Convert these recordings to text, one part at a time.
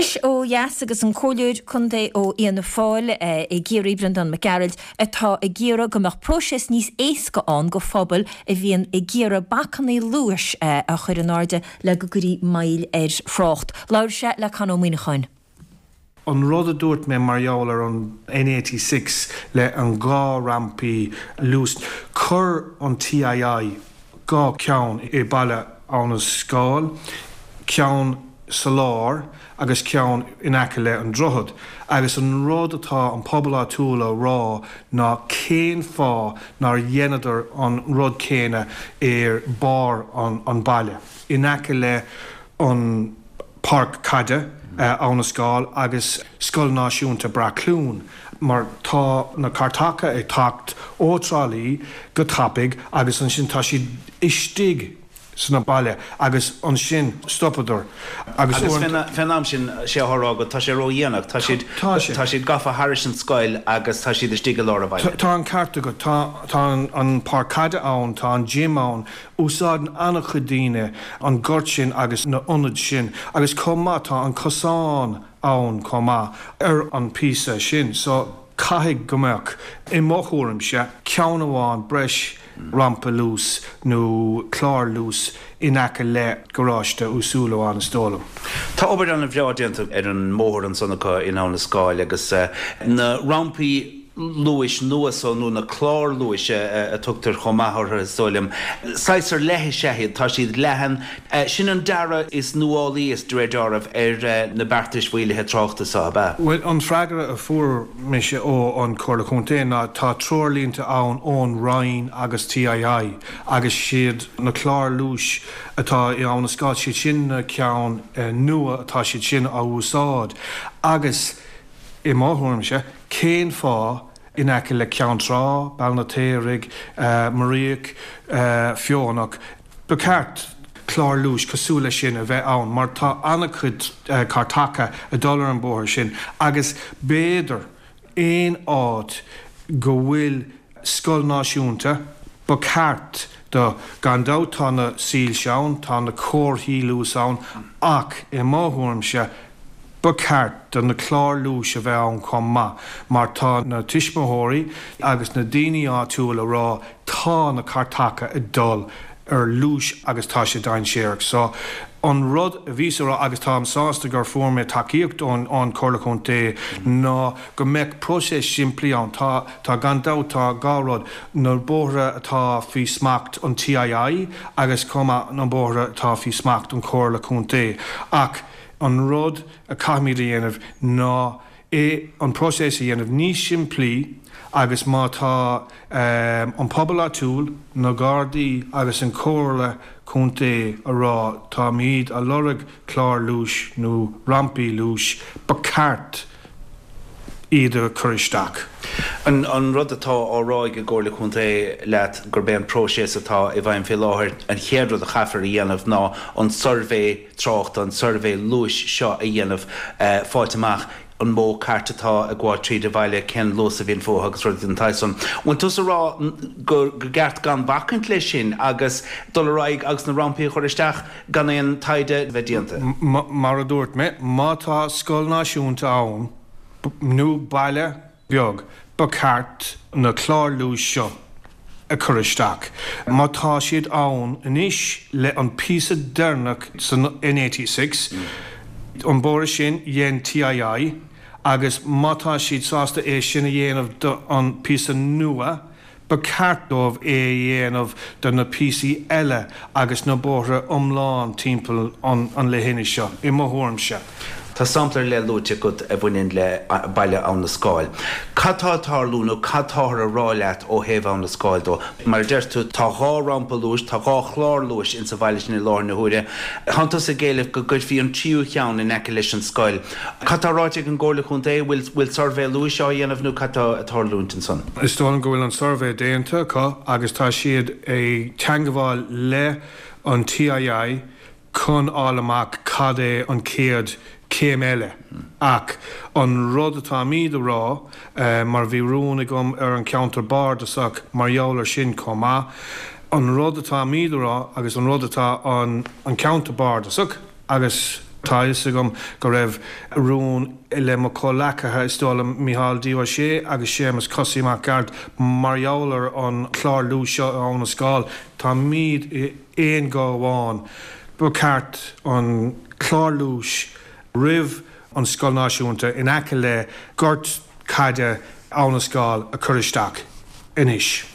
Anois ó dheas agus an Comhairleoir Contae ó Fhianna Fáil i gCiarraí, Breandán Mac Gearailt, atá ag iarraidh go mbeadh próiseas níos éasca ann go phobail a bhíonn ag iarraidh bacannaí luais a chur in airde le go gcuirfí moill ar thrácht. Labhair sé le Con Ó Muíneacháin. An rud a dúirt mé mar gheall ar an N86 le an 2 rampaí luais, chuir an TII 2 ceann i baile Abha na Scáil, ceann sa lár agus ceann in aice le an droichead. Agus an rud atá an pobal áitiúil a rá ná cén fáth nár dheineadar an rud céanna ar barr an baile, in aice le an. Páirc Caide Abha na Scáil agus Scoil Náisiúnta Breacluain mar tá na cairteacha ag teacht ó Trá Lí go tapaidh agus ansin tá siad istigh sna baile agus ansin stopadar agus Agus fén am sin, sé atá á rá agat, tá sé ró-dhéanach, tá siad, tá siad gafa thairis an scoil agus tá siad istigh i lár an bhaile. Tá an ceart agat, tá, tá an páirc caide ann, tá an gym ann, Úsáideann an-chuid daoine an gort sin agus na ionaid sin agus chomh maith tá an cosán ann chomh maith ar an píosa sin so caithfidh go mbeadh, i mo thuairimse, ceann amháin breis rampa luais nó clár luais in aice le garáiste Uí Súilleabháin is dóigh liom. Tá obair an-bhreá déanta ar an mbóthar ansan acu in Abha na Scáil agus na rampaí luais nua so, nó na cláir luais a tugtar chomh maith orthu, is dóigh liom. Saghas ar leith is ea iad, tá siad leathan. Sin an dearadh is nuálaí, is de réir dealraimh, ar na beartais mhaolaithe tráchta so, ab ea? Bhuel, an freagra a fuair mise ó an Chomhairle Contae ná tá treoirlínte ann ón Roinn agus TII agus siad na cláir luais atá i Abha na Scáil, siad sin na ceann nua atá siad sin á úsáid agus I mo thuairimse, cén fáth in aice le Ceann Trá, Béal an tSaothraigh, Muiríoch, Feothanach, ba cheart clár luais cosúil leis sin a bheith ann mar tá an-chuid cairteacha ag dul ar an bóthar sin agus b'fhéidir aon áit go bhfuil scoil náisiúnta, ba cheart do. Gan dabht tá na soilse ann, tá na comharthaí luais ann ach i mo thuairimse ba cheart do na cláir luais a bheith ann chomh maith mar tá na tuismitheoirí agus na daoine áitiúil a rá tá na cairteacha ag dul ar luas agus tá sé dainséarach. So an rud a bhíos a rá agus táim sásta gur fuair mé tacaíocht ón Chomhairle Chontae ná go mbeadh próiseas simplí ann. Tá, tá gan dabht tá 2 rud, na bóithre atá faoi smacht an TII agus chomh maith na bóithre atá faoi smacht an Chomhairle Contae ach an rud a caithfimid a dhéanamh ná é an próiseas a dhéanamh níos simplí agus má tá an pobal áitiúil, na Gardaí agus an Chomhairle Contae a rá táimid a lorg clár luais nó rampaí luais, ba cheart iad a chur isteach. An rud atá á rá ag an gComhairle Contae leat gurb é an próiseas atá i bhfeidhm fé láthair, an chéad rud a chaithfear a dhéanamh ná an suirbhé tráchta, an suirbhé luais seo a dhéanamh, fáilt amach an mó cairt atá ag gabháil tríd an bhaile, cén luas a bhíonn fúthu agus rudaí den tsaghas san. Bhfuil tusa ag rá gur gceart gan bhacaint leis sin agus dul ar aghaidh agus na rampaí a chur isteach gan aon taighde a bheith déanta? Mar a dúirt mé, má tá scoil náisiúnta ann nó baile beag, ba cheart na cláir luais seo a chur isteach. Má tá siad ann anois le an píosa deireanach san N86, an bóthar sin, dhein TII, agus má tá siad sásta é sin a dhéanamh do an píosa nua, Ba cheart dóibh é a dhéanamh do na píosaí eile agus na bóithre iomlán timpeall an leithinis seo, i mo thuairimse. Tá sampla ar leith luaite agat a bhaineann le baile Abha na Scáil. Cad tá ag tarlú nó cad táthar a rá leat ó thaobh Abha na Scáil dó? Mar a deir tú, tá 2 rampa luais, tá 2 chlár luais insa bhaile sin i láthair na huaire. Tánn tusa ag éileamh go gcuirfí an tríú cheann in aice leis an scoil. Cad tá ráite ag an gComhairle Contae? Bhfuil bhfuil suirbhé luais á dhéanamh nó cad tá ag tarlúint ansan? Is dóigh liom go bhfuil an suirbhé déanta acu agus tá siad ag teangabháil le an TII chun fháil amach cad é an chéad chéim eile. Ach an rud atáimíd a rá, mar bhí rún agam ar an cheantar bardasach mar gheall ar sin chomh maith, an rud atáimíd a rá agus an rud atá an ceantar bardasach agus. Tá a fhios agam go raibh rún le mo chomhleacaithe, is dóigh liom, Micheál D. Ó Sé agus Séamus Cosaí Mac Gearailt, mar gheall ar an chlár luais seo i Abhainn an Scáil. Táimid i aon ghuth amháin. Ba cheart an clár luais roimh an Scoil Náisiúnta in aice le gort caide Abhainn an Scáil a chur isteach anois.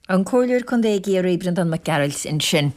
An Comhairleoir Contae i gCiarraí, Breandán Mac Gearailt ansin.